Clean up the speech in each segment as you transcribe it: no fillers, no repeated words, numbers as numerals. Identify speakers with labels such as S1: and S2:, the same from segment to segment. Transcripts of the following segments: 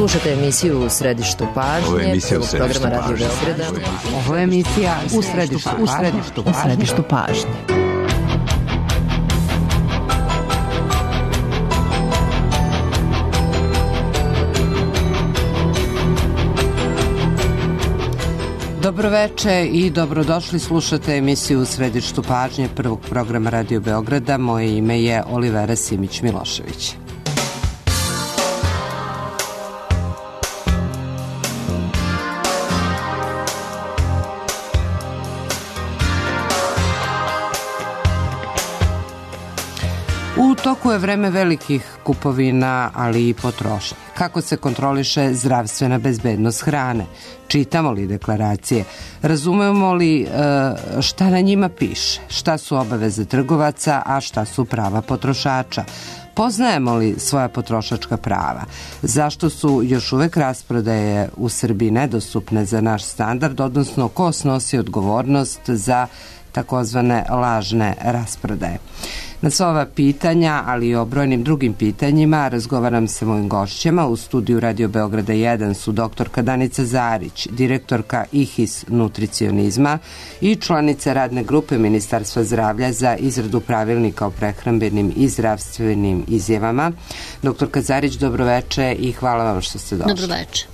S1: Slušajte emisiju U središtu pažnje, programa Radio Beograda.
S2: Ovo je emisija U središtu pažnje. Dobroveče i dobrodošli, slušate emisiju U središtu pažnje prvog programa Radio Beograda. Moje ime je Olivera Simić-Milošević. U toku je vreme velikih kupovina, ali i potrošnje. Kako se kontroliše zdravstvena bezbednost hrane? Čitamo li deklaracije? Razumemo li šta na njima piše? Šta su obaveze trgovaca, a šta su prava potrošača? Poznajemo li svoja potrošačka prava? Zašto su još uvek rasprodaje u Srbiji nedostupne za naš standard, odnosno ko snosi odgovornost za takozvane lažne rasprodaje? Na sva ova pitanja, ali i o brojnim drugim pitanjima, razgovaram sa mojim gošćama. U studiju Radio Beograda 1 su doktorka Danica Zarić, direktorka IHIS nutricionizma i članica radne grupe Ministarstva zdravlja za izradu pravilnika o prehrambenim i zdravstvenim izjavama. Doktorka Zarić, dobroveče i hvala vam što ste došli.
S3: Dobroveče.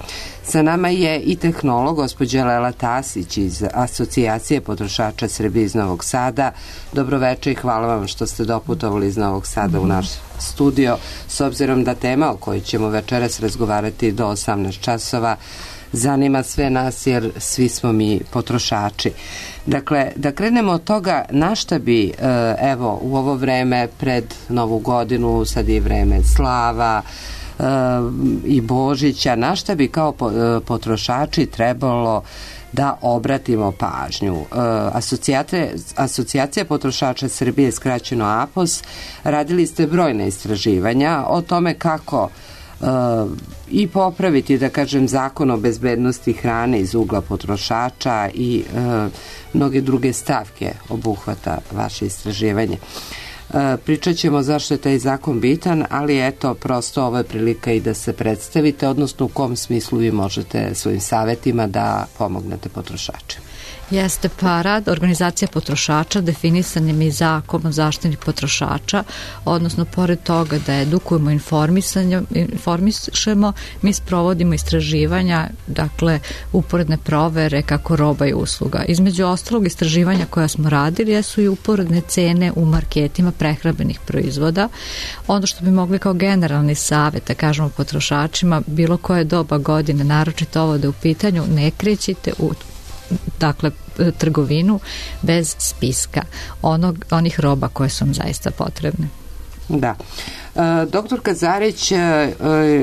S1: Sa nama je i tehnolog, gospođa Lela Tasić iz Asocijacije potrošača Srbije iz Novog Sada. Dobroveče i hvala vam što ste doputovali iz Novog Sada u naš studio, s obzirom da tema o kojoj ćemo večeras razgovarati do 18 časova zanima sve nas jer svi smo mi potrošači. Dakle, da krenemo od toga na šta bi, evo, u ovo vreme pred Novu godinu, sad je vreme slava, i Božića, na šta bi kao potrošači trebalo da obratimo pažnju. Asocijacija potrošača Srbije, skraćeno APOS, radili ste brojne istraživanja o tome kako i popraviti, da kažem, zakon o bezbednosti hrane iz ugla potrošača i mnoge druge stavke obuhvata vaše istraživanje. Pričat ćemo zašto je taj zakon bitan, ali eto, prosto ovo je prilika i da se predstavite, odnosno u kom smislu vi možete svojim savjetima da pomognete potrošačima.
S3: Jeste, pa rad organizacija potrošača definisan je mi zakon o zaštiti potrošača, odnosno pored toga da edukujemo, informišemo, mi sprovodimo istraživanja, dakle uporedne provere kako roba i usluga. Između ostalog istraživanja koja smo radili jesu i uporedne cene u marketima prehrambenih proizvoda. Ono što bi mogli kao generalni savjet da kažemo potrošačima, bilo koje doba godine, naročito ovo da je u pitanju, ne krećite u trgovinu bez spiska onih roba koje su vam zaista potrebne.
S1: Da. Doktorka Zarić,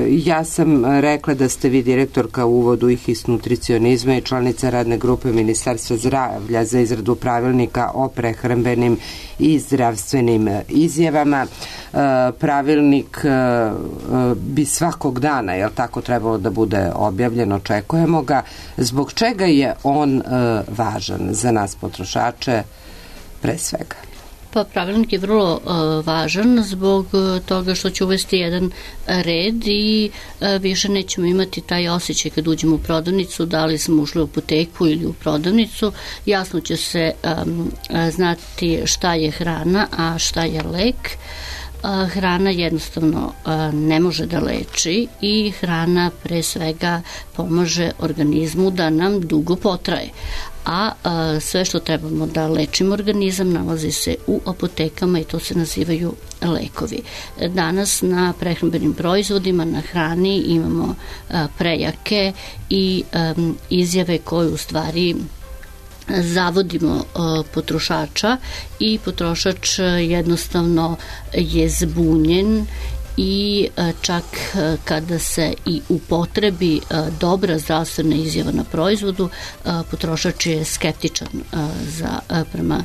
S1: ja sam rekla da ste vi direktorka u uvodu IHIS nutricionizma i članica radne grupe Ministarstva zdravlja za izradu pravilnika o prehrambenim i zdravstvenim izjavama. Pravilnik bi svakog dana, jel tako, trebalo da bude objavljen, očekujemo ga. Zbog čega je on važan za nas potrošače pre svega?
S3: Pa pravilnik je vrlo važan zbog toga što će uvesti jedan red i više nećemo imati taj osjećaj kad uđemo u prodavnicu, da li smo ušli u apoteku ili u prodavnicu. Jasno će se znati šta je hrana, a šta je lek. Hrana jednostavno ne može da leči i hrana pre svega pomaže organizmu da nam dugo potraje. A sve što trebamo da lečimo organizam nalazi se u apotekama i to se nazivaju lekovi. Danas na prehrambenim proizvodima, na hrani imamo prejake i izjave koje u stvari zavodimo potrošača i potrošač jednostavno je zbunjen i čak kada se i upotrebi dobra zdravstvena izjava na proizvodu, potrošač je skeptičan prema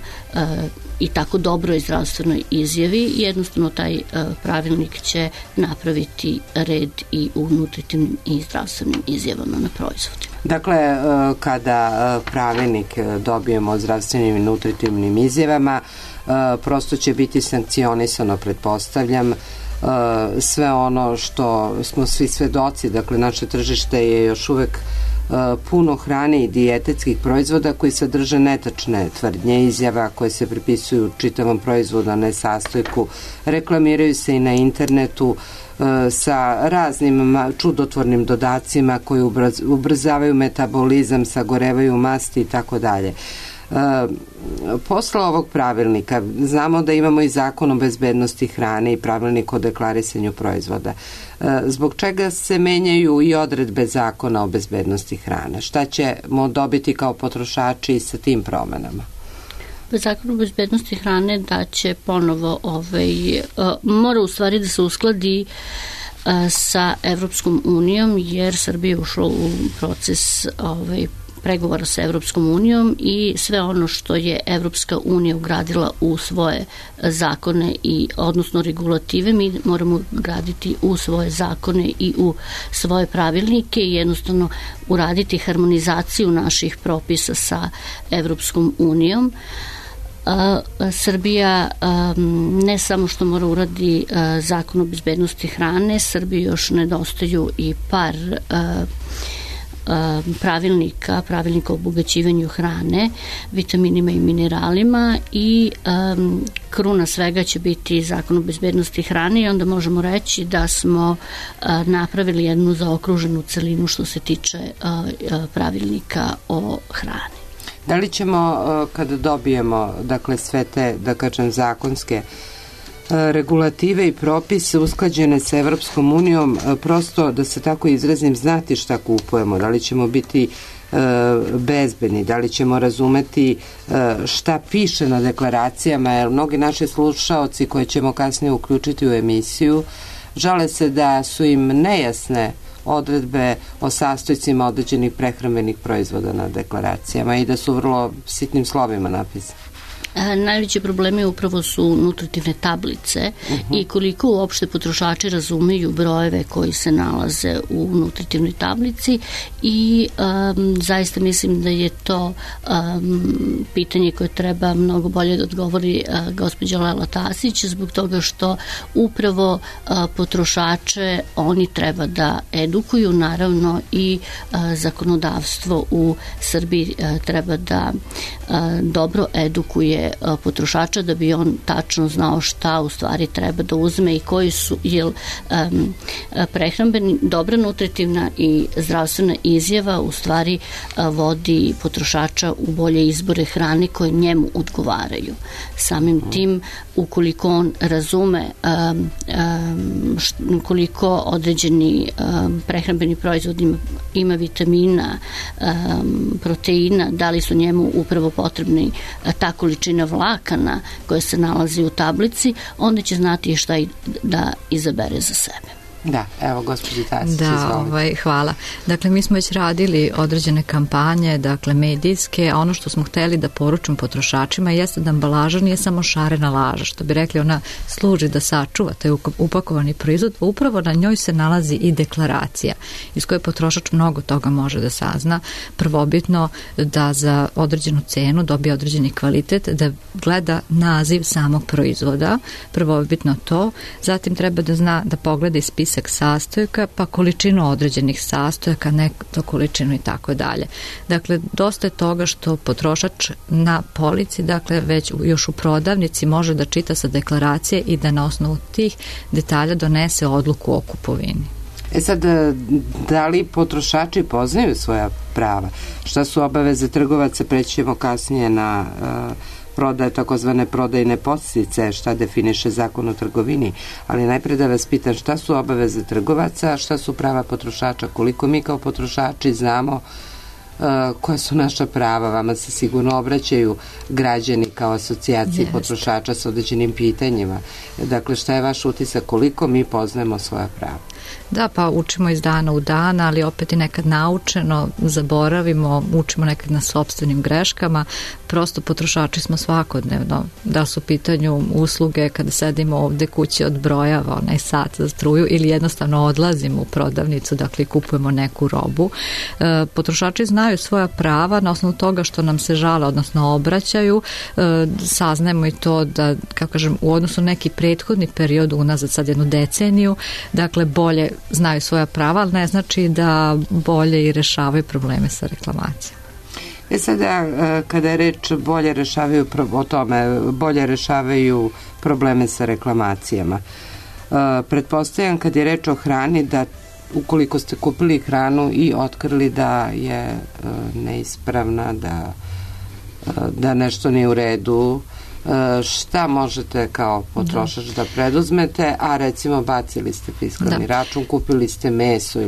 S3: i tako dobroj zdravstvenoj izjavi. Jednostavno taj pravilnik će napraviti red i u nutritivnim i zdravstvenim izjavama na proizvodima.
S1: Dakle, kada pravilnik dobijemo o zdravstvenim i nutritivnim izjavama, prosto će biti sankcionisano, pretpostavljam, sve ono što smo svi svedoci, dakle naše tržište je još uvek puno hrane i dijetetskih proizvoda koji sadrže netačne tvrdnje, izjava koje se pripisuju čitavom proizvodu, a ne sastojku, reklamiraju se i na internetu sa raznim čudotvornim dodacima koji ubrzavaju metabolizam, sagorevaju masti i tako dalje. Posle ovog pravilnika znamo da imamo i zakon o bezbednosti hrane i pravilnik o deklarisanju proizvoda. Zbog čega se menjaju i odredbe zakona o bezbednosti hrane? Šta ćemo dobiti kao potrošači sa tim promenama?
S3: Zakon o bezbednosti hrane da će ponovo mora u stvari da se uskladi sa Evropskom unijom, jer Srbija je ušla u proces pregovora sa Evropskom unijom i sve ono što je Evropska unija ugradila u svoje zakone odnosno regulative, mi moramo ugraditi u svoje zakone i u svoje pravilnike i jednostavno uraditi harmonizaciju naših propisa sa Evropskom unijom. Srbija ne samo što mora uradi zakon o bezbednosti hrane, Srbiji još nedostaju i par pravilnika o obogaćivanju hrane, vitaminima i mineralima i kruna svega će biti zakon o bezbednosti hrane i onda možemo reći da smo napravili jednu zaokruženu celinu što se tiče pravilnika o hrani.
S1: Da li ćemo, kada dobijemo sve te, da kažem, zakonske regulative i propise usklađene sa Evropskom unijom, prosto, da se tako izrazim, znati šta kupujemo, da li ćemo biti bezbedni, da li ćemo razumeti šta piše na deklaracijama, jer mnogi naši slušaoci koje ćemo kasnije uključiti u emisiju žale se da su im nejasne odredbe o sastojcima određenih prehrambenih proizvoda na deklaracijama i da su vrlo sitnim slovima napisane.
S3: Najveći problemi upravo su nutritivne tablice i koliko uopšte potrošači razumeju brojeve koji se nalaze u nutritivnoj tablici i zaista mislim da je to pitanje koje treba mnogo bolje da odgovori gospođa Lela Tasić, zbog toga što upravo potrošače oni treba da edukuju, naravno i zakonodavstvo u Srbiji treba da dobro edukuje potrošača da bi on tačno znao šta u stvari treba da uzme i koji su, jer prehrambeni, dobra nutritivna i zdravstvena izjava u stvari vodi potrošača u bolje izbore hrane koje njemu odgovaraju. Samim tim, ukoliko on razume koliko određeni prehrambeni proizvod ima vitamina, proteina, da li su njemu upravo potrebni ta količina vlakana koja se nalazi u tablici, onda će znati šta da izabere za sebe.
S1: Da, evo gospođi Tasić,
S4: izvolite. Hvala. Dakle, mi smo već radili određene kampanje, dakle medijske, a ono što smo hteli da poručimo potrošačima jeste da ambalaža nije samo šarena laža, što bi rekli, ona služi da sačuva taj upakovani proizvod, upravo na njoj se nalazi i deklaracija iz koje potrošač mnogo toga može da sazna. Prvobitno da za određenu cenu dobije određeni kvalitet, da gleda naziv samog proizvoda, prvobitno to, zatim treba da zna da pogleda i spisak sastojka, pa količinu određenih sastojaka, neto količinu i tako dalje. Dakle, dosta je toga što potrošač na polici, dakle već još u prodavnici može da čita sa deklaracije i da na osnovu tih detalja donese odluku o kupovini.
S1: Sad, da li potrošači poznaju svoja prava? Šta su obaveze trgovaca? Preći ćemo kasnije na prodaje, takozvane prodajne podsticaje, šta definiše zakon o trgovini, ali najpre da vas pitam šta su obaveze trgovaca, šta su prava potrošača, koliko mi kao potrošači znamo koja su naša prava. Vama se sigurno obraćaju građani kao asocijaciji potrošača s određenim pitanjima. Dakle, šta je vaš utisak, koliko mi poznajemo svoja prava?
S4: Da, pa učimo iz dana u dan, ali opet i nekad naučeno, zaboravimo, učimo nekad na sopstvenim greškama, prosto potrošači smo svakodnevno, da su u pitanju usluge kada sedimo ovde kući odbrojava onaj sat za struju ili jednostavno odlazimo u prodavnicu, dakle kupujemo neku robu. Potrošači znaju svoja prava na osnovu toga što nam se žale, odnosno obraćaju, saznajemo i to da, kako kažem, u odnosu neki prethodni period unazad, sad jednu deceniju, dakle bolje znaju svoja prava, ali ne znači da bolje i rešavaju probleme sa reklamacijama.
S1: Sada, kada je reč bolje rešavaju o tome, bolje rešavaju probleme sa reklamacijama, pretpostavljam kad je reč o hrani da ukoliko ste kupili hranu i otkrili da je neispravna, da nešto nije u redu, šta možete kao potrošač da preduzmete, a recimo bacili ste fiskalni račun, kupili ste meso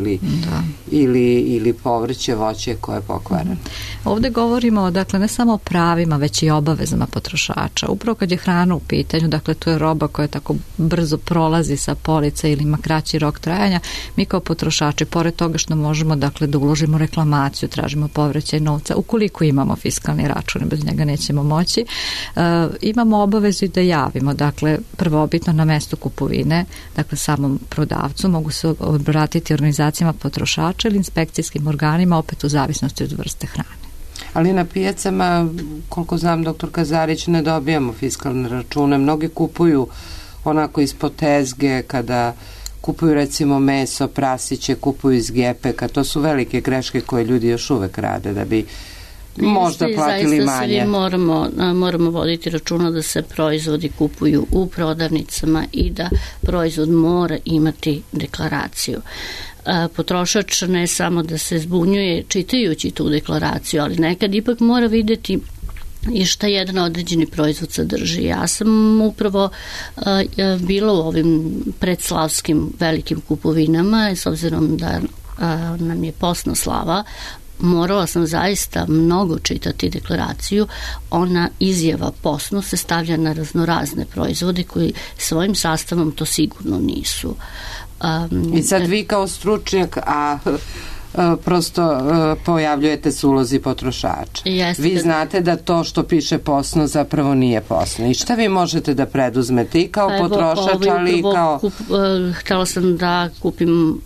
S1: ili povrće, voće koje je pokvareno.
S4: Ovde govorimo, dakle, ne samo o pravima, već i obavezama potrošača. Upravo kad je hrana u pitanju, dakle, to je roba koja tako brzo prolazi sa polica ili ima kraći rok trajanja, mi kao potrošači, pored toga što možemo, dakle, da uložimo reklamaciju, tražimo povraćaj novca, ukoliko imamo fiskalni račun, bez njega nećemo moći, imamo obavezu i da javimo, dakle, prvobitno na mesto kupovine, dakle, samom prodavcu, mogu se obratiti organizacijama potrošača ili inspekcijskim organima, opet u zavisnosti od vrste hrane.
S1: Ali na pijacama, koliko znam, doktor Kazarić, ne dobijamo fiskalne račune. Mnogi kupuju onako ispod tezge, kada kupuju recimo meso, prasiće, kupuju iz gepeka. To su velike greške koje ljudi još uvek rade da bi možda platili manje.
S3: Zaista svi moramo voditi računa da se proizvodi kupuju u prodavnicama i da proizvod mora imati deklaraciju. Potrošač ne samo da se zbunjuje čitajući tu deklaraciju, ali nekad ipak mora videti i šta jedan određeni proizvod sadrži. Ja sam upravo bila u ovim predslavskim velikim kupovinama, s obzirom da nam je postna slava, morala sam zaista mnogo čitati deklaraciju. Ona izjava postnu se stavlja na raznorazne proizvode koji svojim sastavom to sigurno nisu.
S1: I sad vi kao stručnjak, prosto pojavljujete se u ulozi potrošača. Vi znate da to što piše postno zapravo nije postno. I šta vi možete da preduzmete i kao potrošač, ali i kao...
S3: Htela sam da kupim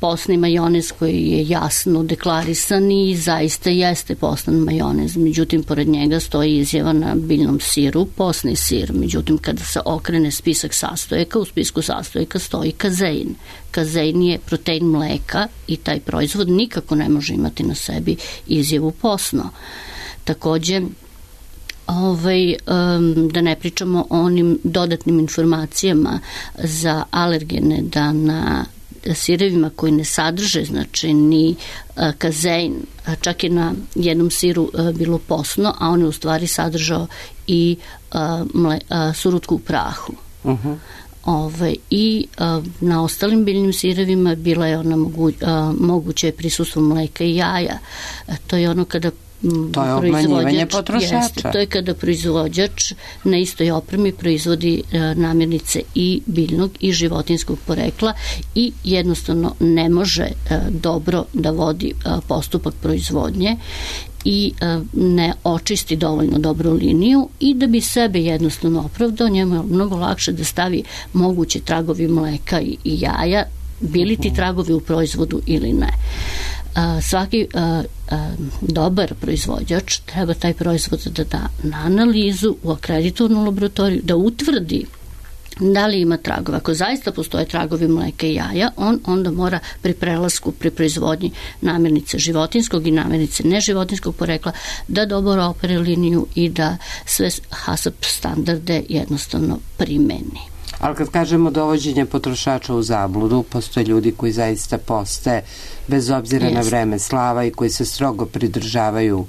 S3: postni majonez koji je jasno deklarisan i zaista jeste postan majonez. Međutim, pored njega stoji izjava na biljnom siru, postni sir. Međutim, kada se okrene spisak sastojaka, u spisku sastojaka stoji kazein. Kazein je protein mleka i taj proizvod nikako ne može imati na sebi izjavu postno. Takođe, da ne pričamo o onim dodatnim informacijama za alergene, da na sirevima koji ne sadrže, znači ni kazein, čak je na jednom siru bilo postno, a on je u stvari sadržao i surutku u prahu. I na ostalim biljnim sirevima bila je ona moguće prisustvo mleka i jaja. To je ono kada
S1: to je obmanjivanje potrošača.
S3: To je kada proizvođač na istoj opremi proizvodi namirnice i biljnog i životinjskog porekla i jednostavno ne može dobro da vodi postupak proizvodnje i ne očisti dovoljno dobru liniju i da bi sebe jednostavno opravdao, njemu je mnogo lakše da stavi moguće tragovi mleka i jaja, bili ti tragovi u proizvodu ili ne. Svaki dobar proizvođač treba taj proizvod da da na analizu u akreditovanu laboratoriju, da utvrdi da li ima tragova. Ako zaista postoje tragovi mleka i jaja, on onda mora pri prelasku, pri proizvodnji namirnice životinskog i namirnice neživotinskog porekla da dobro opere liniju i da sve HACCP standarde jednostavno primeni.
S1: Ali kad kažemo dovođenje potrošača u zabludu, postoje ljudi koji zaista poste bez obzira na vreme slava i koji se strogo pridržavaju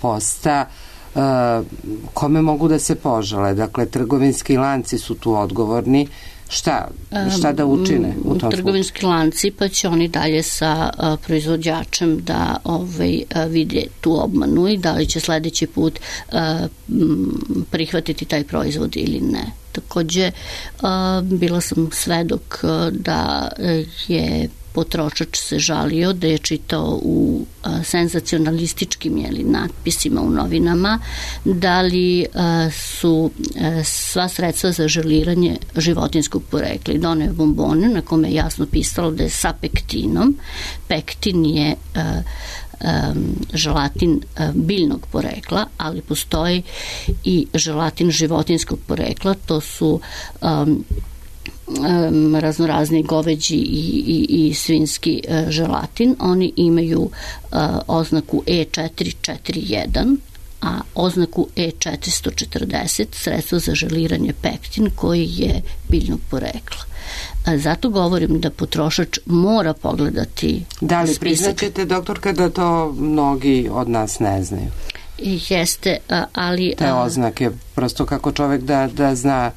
S1: posta. Kome mogu da se požale? Dakle, trgovinski lanci su tu odgovorni. šta da učine u tom
S3: trgovinski lanci, pa će oni dalje sa proizvođačem da vide tu obmanu i da li će sledeći put prihvatiti taj proizvod ili ne. Takođe, bila sam svedok da je potrošač se žalio da je čitao u senzacionalističkim natpisima u novinama da li su sva sredstva za želiranje životinskog porekla. I doneo je bombone na kome je jasno pisalo da je sa pektinom. Pektin je želatin biljnog porekla, ali postoji i želatin životinskog porekla, to su raznorazni goveđi i svinski želatin. Oni imaju oznaku E441, a oznaku E440 sredstvo za želiranje pektin koji je biljnog porekla. Zato govorim da potrošač mora pogledati
S1: Da li
S3: spisak.
S1: priznaćete, doktorka, da to mnogi od nas ne znaju?
S3: Jeste, ali...
S1: Te oznake, prosto kako čovek da zna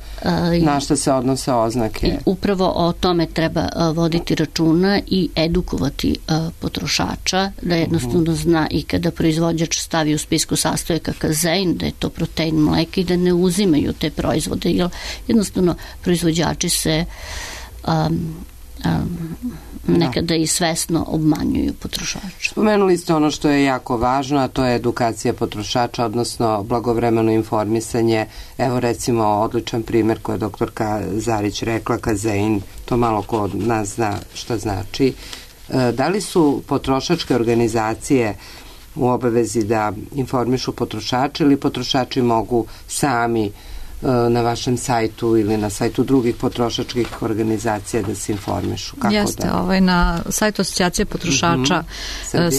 S1: na šta se odnose oznake.
S3: Upravo o tome treba voditi računa i edukovati potrošača, da jednostavno zna i kada proizvođač stavi u spisku sastojaka kazein, da je to protein mleka i da ne uzimaju te proizvode, jer jednostavno proizvođači se nekada i svesno obmanjuju potrošača.
S1: Spomenuli ste ono što je jako važno, a to je edukacija potrošača, odnosno blagovremeno informisanje. Evo recimo odličan primer koji je doktorka Zarić rekla, kazein, to malo ko od nas zna šta znači. Da li su potrošačke organizacije u obavezi da informišu potrošače ili potrošači mogu sami na vašem sajtu ili na sajtu drugih potrošačkih organizacija da se informišu?
S4: Jeste, na sajtu Asocijacije potrošača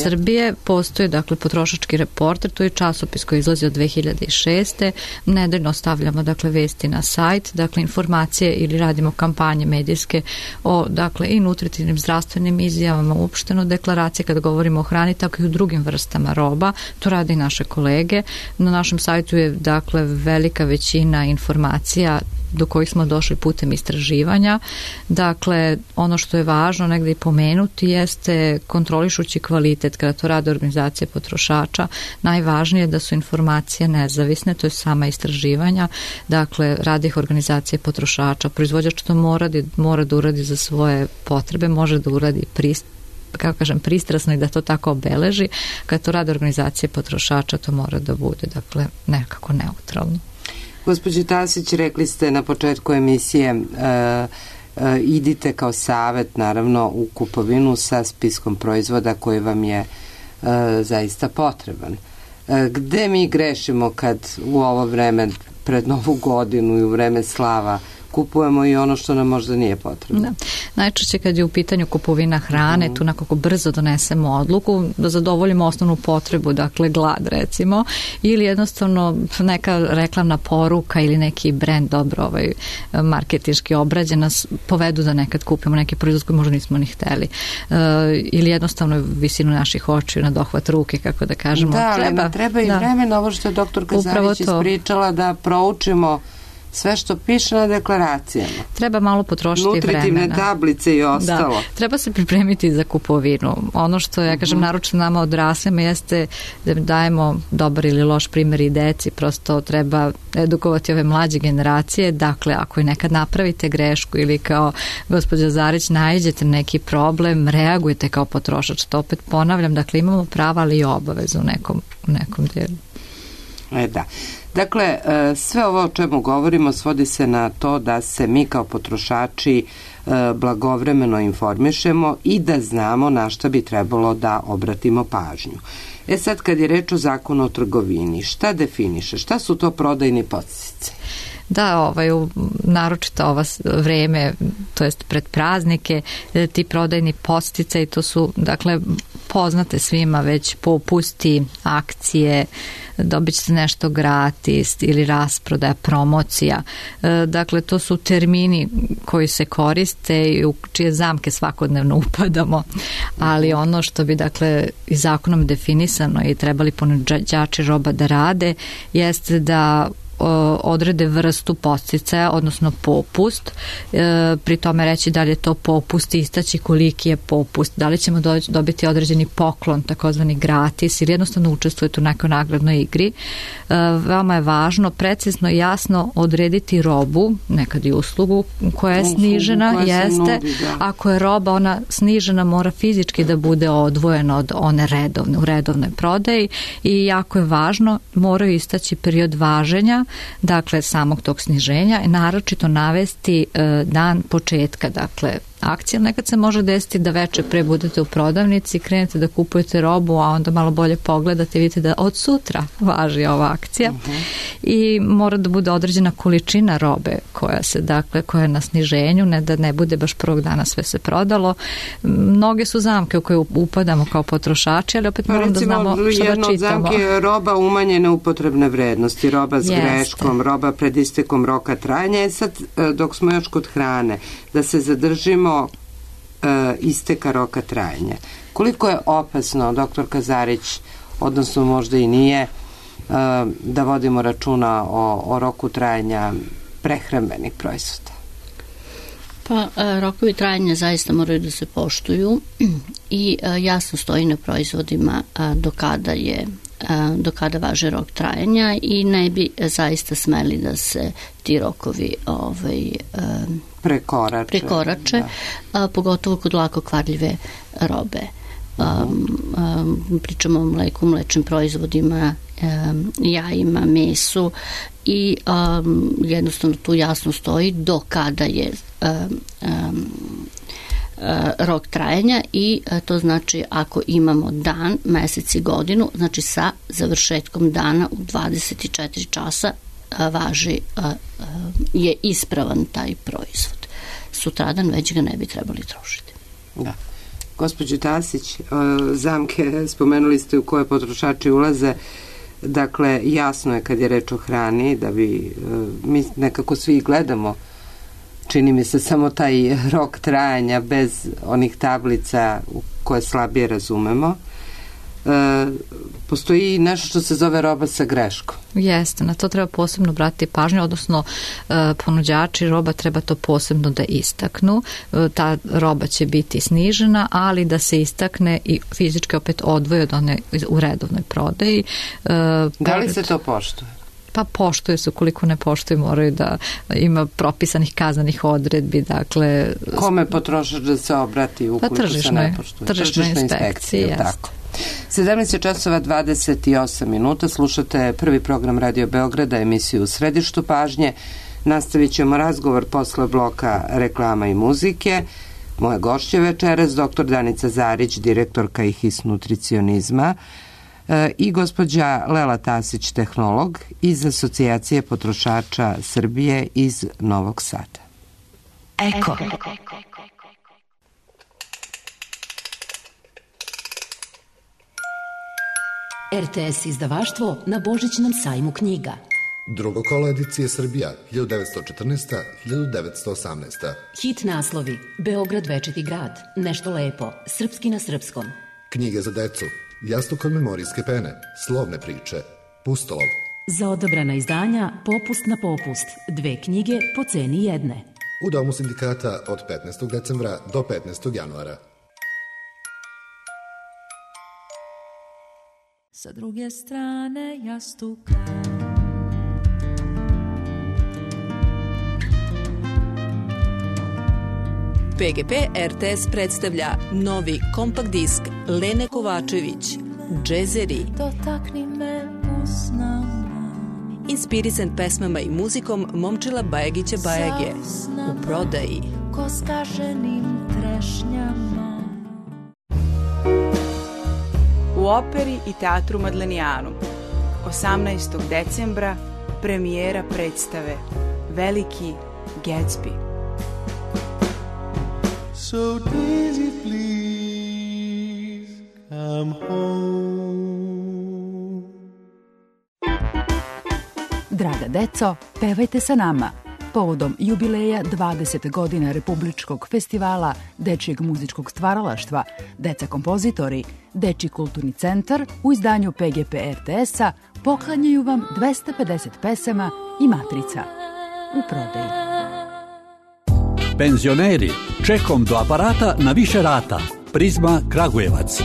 S4: Srbije postoji potrošački reporter, to je časopis koji izlazi od 2006. Nedeljno stavljamo vesti na sajt, informacije ili radimo kampanje medijske o i nutritivnim zdravstvenim izjavama, uopšteno deklaracije kad govorimo o hrani, tako i u drugim vrstama roba. To rade i naše kolege. Na našem sajtu je velika većina informacija do kojih smo došli putem istraživanja. Ono što je važno negde i pomenuti jeste kontrolišući kvalitet. Kada to rade organizacije potrošača, najvažnije je da su informacije nezavisne, to je sama istraživanja. Rade ih organizacije potrošača. Proizvođač to mora da uradi za svoje potrebe, može da uradi pristrasno i da to tako obeleži. Kada to rade organizacije potrošača, to mora da bude nekako neutralno.
S1: Gospođo Tasić, rekli ste na početku emisije idite kao savet naravno u kupovinu sa spiskom proizvoda koji vam je zaista potreban. Gde mi grešimo kad u ovo vreme pred Novu godinu i u vreme slava kupujemo i ono što nam možda nije potrebno?
S4: Najčešće kad je u pitanju kupovina hrane, tu nekako brzo donesemo odluku da zadovoljimo osnovnu potrebu, glad recimo, ili jednostavno neka reklamna poruka ili neki brend dobro marketinški obrađen nas povedu da nekad kupimo neki proizvod koji možda nismo ni hteli. Ili jednostavno visinu naših očiju na dohvat ruke, kako da kažemo.
S1: Treba i vremena, ovo što je doktorka Zarić ispričala, da proučimo sve što piše na deklaracijama.
S4: Treba malo potrošiti vremena.
S1: Nutritivne tablice i ostalo.
S4: Treba se pripremiti za kupovinu. Ono što ja kažem naročito nama odraslima jeste da dajemo dobar ili loš primjer i deci. Prosto treba edukovati ove mlađe generacije. Ako i nekad napravite grešku ili kao gospođa Zarić naiđete neki problem, reagujete kao potrošač. To opet ponavljam. Imamo prava ali i obavezu u nekom dijelu.
S1: Da. Dakle, sve ovo o čemu govorimo svodi se na to da se mi kao potrošači blagovremeno informišemo i da znamo na šta bi trebalo da obratimo pažnju. Sad kad je reč o zakonu o trgovini, šta definiše? Šta su to prodajni podsticaji?
S4: Naročito ovo vreme, to jest pred praznike, ti prodajni podsticaji, to su, poznate svima već popusti, akcije, dobit ćete nešto gratis ili rasprodaja, promocija. To su termini koji se koriste i u čije zamke svakodnevno upadamo, ali ono što bi i zakonom definisano i trebali ponuđači roba da rade jeste da odrede vrstu podsticaja, odnosno popust, pri tome reći da li je to popust, istaći koliki je popust, da li ćemo dobiti određeni poklon, takozvani gratis, ili jednostavno učestvujete u nekoj nagradnoj igri. Veoma je važno precizno i jasno odrediti robu, nekad i uslugu koja je snižena, jeste. Ako je roba ona snižena, mora fizički da bude odvojena od one redovne, u redovnoj prodaji, i jako je važno, moraju istaći period važenja, dakle samog tog sniženja, i naročito navesti dan početka, dakle akcija. Nekad se može desiti da veče pre budete u prodavnici, krenete da kupujete robu, a onda malo bolje pogledate i vidite da od sutra važi ova akcija. I mora da bude određena količina robe koja je na sniženju, ne da ne bude baš prvog dana sve se prodalo. Mnoge su zamke u koje upadamo kao potrošači, ali opet moram da znamo što da čitamo.
S1: Jedna od zamke je roba umanjene upotrebne vrednosti, roba s greškom, roba pred istekom roka trajanja. Sad, dok smo još kod hrane, da se zadržimo isteka roka trajanja. Koliko je opasno, doktor Kazarić, odnosno možda i nije, da vodimo računa o roku trajanja prehrambenih proizvoda?
S3: Pa, rokovi trajanja zaista moraju da se poštuju i jasno stoji na proizvodima do kada važe rok trajanja, i ne bi zaista smeli da se ti rokovi prekorače, pogotovo kod lako kvarljive robe. Pričamo o mleku, mlečnim proizvodima, jajima, mesu, i jednostavno tu jasno stoji do kada je rok trajanja, i to znači ako imamo dan, mesec i godinu, znači sa završetkom dana u 24 časa je ispravan taj proizvod. Sutradan već ga ne bi trebali trošiti.
S1: Da. Gospođo Tasić, zamke spomenuli ste u koje potrošači ulaze. Dakle, jasno je kad je reč o hrani da mi nekako svi gledamo, čini mi se, samo taj rok trajanja bez onih tablica koje slabije razumemo. Postoji nešto što se zove roba sa greškom.
S4: Jeste, na to treba posebno obratiti pažnju, odnosno ponuđači roba treba to posebno da istaknu. Ta roba će biti snižena, ali da se istakne i fizički opet odvoje od one u redovnoj prodaji.
S1: Da li se to poštuje?
S4: Pa poštuje se, ukoliko ne poštuje moraju da ima propisanih kazanih odredbi, dakle...
S1: Kome potrošač da se obrati ukoliko se ne poštuje?
S4: Tržišnoj inspekciji,
S1: tako. 17 časova 28 minuta, slušate prvi program Radio Beograda, emisiju U središtu pažnje. Nastavit ćemo razgovor posle bloka reklama i muzike. Moje gošće večeras, dr. Danica Zarić, direktorka IHIS nutricionizma, i gospođa Lela Tasić, tehnolog iz Asocijacije potrošača Srbije iz Novog Sada.
S5: Eko. RTS izdavaštvo na Božićnom sajmu knjiga.
S6: Drugo kolo edicije Srbija, 1914-1918.
S5: Hit naslovi: Beograd večiti grad, Nešto lepo, Srpski na srpskom.
S6: Knjige za decu, Jastuk od memorijske pene, Slovne priče, Pustolov.
S5: Za odabrana izdanja popust na popust, 2 knjige po ceni jedne.
S6: U Domu sindikata od 15. decembra do 15. januara.
S7: Sa druge strane jastuka
S8: PGP RTS predstavlja novi kompakt disk Lene Kovačević, Džezeri.
S7: Dotakni me usnama,
S8: inspirisan pesmama i muzikom Momčila Bajagića Bajage. U prodaji.
S7: Ko skaženim trešnjama.
S9: U operi i teatru Madlenijanu 18. decembra premijera predstave Veliki Gatsby.
S10: So Daisy, please come home.
S11: Draga deco, pevajte sa nama. Povodom jubileja 20 godina Republičkog festivala dečijeg muzičkog stvaralaštva Deca kompozitori, Dečiji kulturni centar u izdanju PGP RTS-a poklanjaju vam 250 pesama i matrica. U prodaji.
S12: Penzioneri, čekom do aparata na više rata. Prizma Kragujevac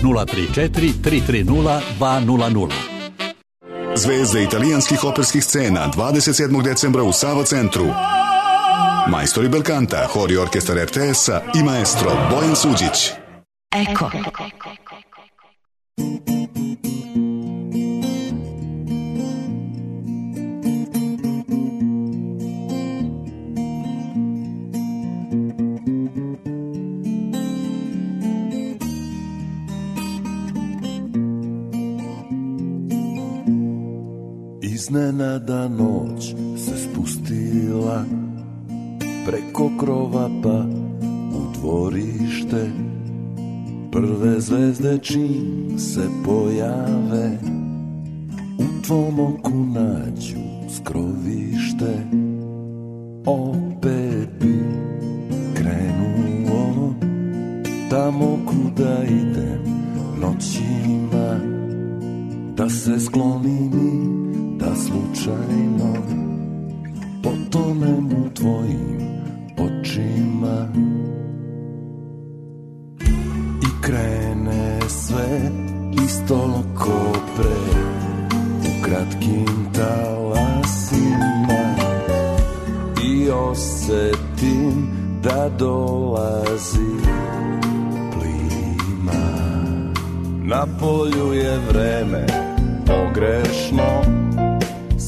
S12: 034 330 200.
S13: Zvezde italijanskih operskih scena 27. decembra u Sava centru. Majstori Belkanta, hor i orkestar RTS-a i maestro Bojan Suđić.
S14: Eko.
S10: Iznenada noć se spustila preko krova pa u dvorište. Prve zvezde čim se pojave u tvom oku nađu skrovište. Opet bi krenuo tamo kuda idem noćima, da se sklonim i da slučajno potonem u tvojim očima. I krene sve isto ko pre, u kratkim talasima, i osetim da dolazi plima. Na polju je vreme pogrešno,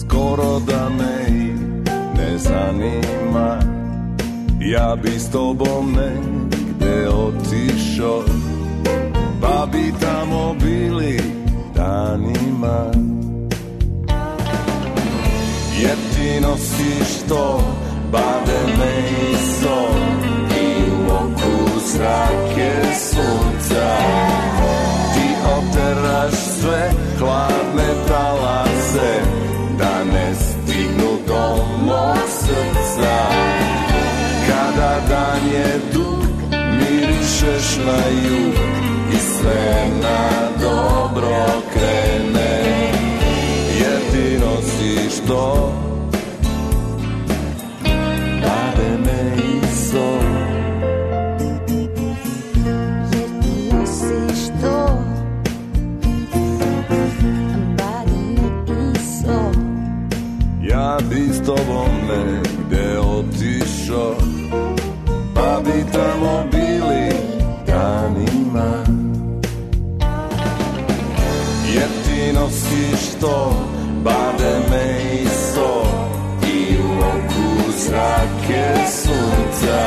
S10: skoro da me i ne zanima. Ja bi s tobom negde otišao, pa bi tamo bili danima. Jer ti nosiš to bademe i sol, i u oku zrake sunca. Ti oteraš sve hladne talase, da ne stignu do mog srca. Kada dan je dug, mirišeš na jug i sve na dobro krene. Jer ti nosiš to bademe i sol.
S7: Jer ti nosiš to bademe i sol.
S10: Ja bi s tobom negde otišao, pa bi tamo bili danima. Jer ti nosiš to bademe i sol, i u oku zrake sunca.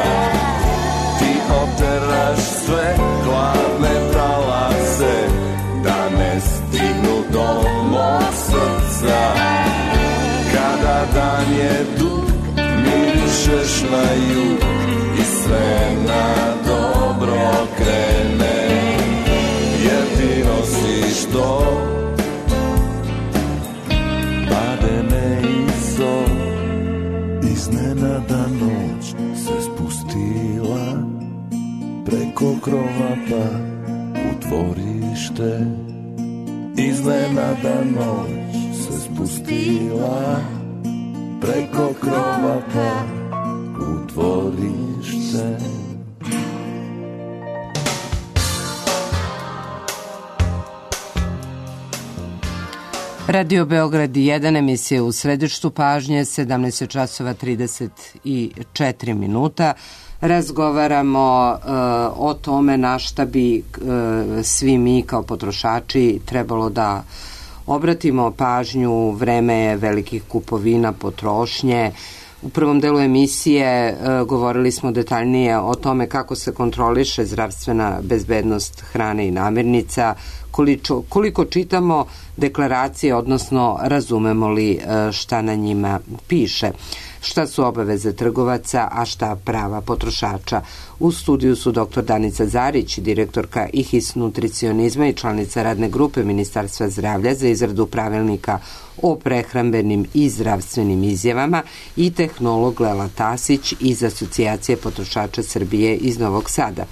S10: Ti oteraš sve hladne talase, da ne stignu do mog srca. Kada dan je dug, mirišeš na jug i sve na dobro krene. Jer ti nosiš to bademe i sol. Iznenada noć se spustila preko krova pa u dvorište. Iznenada noć se spustila preko krova pa u dvorište.
S2: Radio Beograd 1, emisija u središtu pažnje, 17 časova 34 minuta. Razgovaramo o tome na šta bi svi mi kao potrošači trebalo da obratimo pažnju. Vreme je velikih kupovina, potrošnje. U prvom delu emisije govorili smo detaljnije o tome kako se kontroliše zdravstvena bezbednost hrane i namirnica, koliko čitamo deklaracije, odnosno razumemo li šta na njima piše, šta su obaveze trgovaca, a šta prava potrošača. U studiju su dr. Danica Zarić, direktorka IHIS nutricionizma i članica radne grupe Ministarstva zdravlja za izradu pravilnika o prehrambenim i zdravstvenim izjavama, i tehnolog Lela Tasić iz Asocijacije potrošača Srbije iz Novog Sada.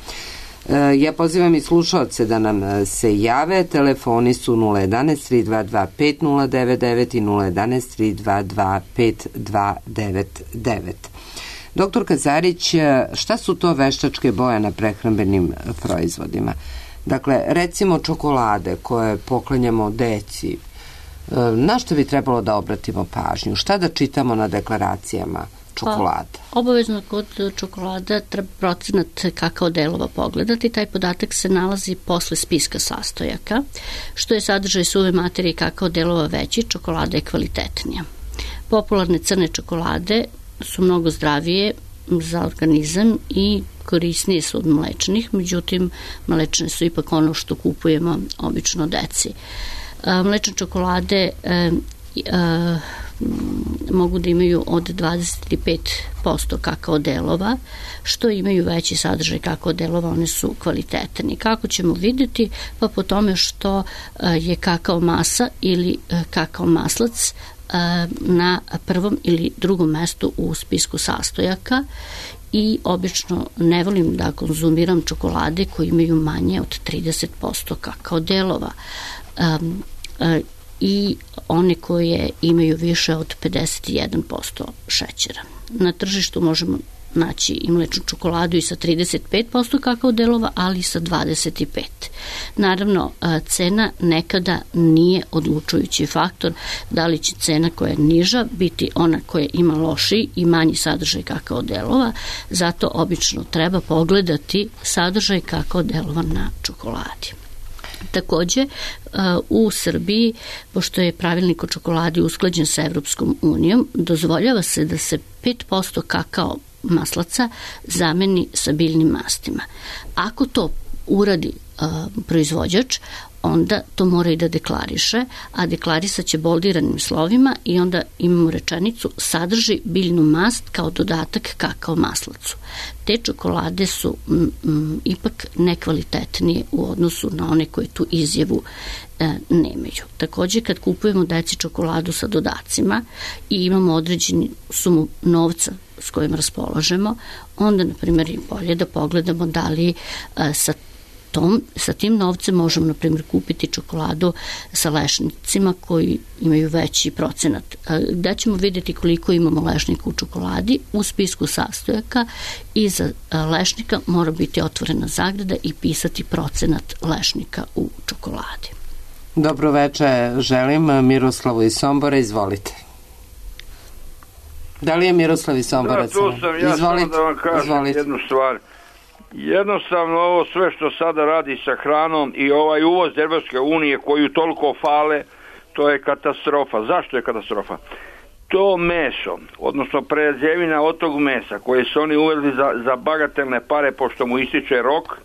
S1: Ja pozivam i slušaoce da nam se jave. Telefoni su 011 322 5099 i 011 322 5299. Doktor Kazarić, šta su to veštačke boje na prehrambenim proizvodima? Dakle, recimo čokolade koje poklanjamo deci, na što bi trebalo da obratimo pažnju? Šta da čitamo na deklaracijama čokolada?
S3: Obavezno kod čokolada treba procenat kakao delova pogledati. Taj podatak se nalazi posle spiska sastojaka. Što je sadržaj suve materije kakao delova veći, čokolada je kvalitetnija. Popularne crne čokolade su mnogo zdravije za organizam i korisnije su od mlečnih, međutim mlečne su ipak ono što kupujemo obično deci. Mlečne čokolade mogu da imaju od 25% kakao delova, što imaju veći sadržaj kakao delova, one su kvalitetni. Kako ćemo vidjeti? Pa po tome što je kakao masa ili kakao maslac na prvom ili drugom mestu u spisku sastojaka i obično ne volim da konzumiram čokolade koje imaju manje od 30% kakao delova i one koje imaju više od 51% šećera. Na tržištu možemo naći i mlečnu čokoladu i sa 35% kakao delova, ali i sa 25%. Naravno, cena nekada nije odlučujući faktor, da li će cena koja je niža biti ona koja ima lošiji i manji sadržaj kakao delova, zato obično treba pogledati sadržaj kakao delova na čokoladi. Takođe, u Srbiji, pošto je pravilnik o čokoladi usklađen sa Evropskom unijom, dozvoljava se da se 5% kakao maslaca zameni sa biljnim mastima. Ako to uradi proizvođač, onda to mora i da deklariše, a deklarisat će boldiranim slovima i onda imamo rečenicu sadrži biljnu mast kao dodatak kakao maslacu. Te čokolade su ipak nekvalitetnije u odnosu na one koje tu izjavu nemaju. Takođe, kad kupujemo deci čokoladu sa dodacima i imamo određenu sumu novca s kojim raspolažemo, onda, na primjer, je bolje da pogledamo da li sa tim novcem možemo, na primjer, kupiti čokoladu sa lešnicima koji imaju veći procenat. Gde ćemo vidjeti koliko imamo lešnika u čokoladi? U spisku sastojaka iza lešnika mora biti otvorena zagrada i pisati procenat lešnika u čokoladi.
S1: Dobro veče, želim Miroslavu iz Sombora, izvolite. Da li je Miroslav iz Sombora?
S14: Da, tu sam, ja samo da vam kažem jednu stvar. Jednostavno ovo sve što sada radi sa hranom i ovaj uvoz Evropske unije koju toliko fale, to je katastrofa. Zašto je katastrofa? To meso, odnosno prerađevina od tog mesa koje su oni uvezli za bagatelne pare pošto mu ističe rok,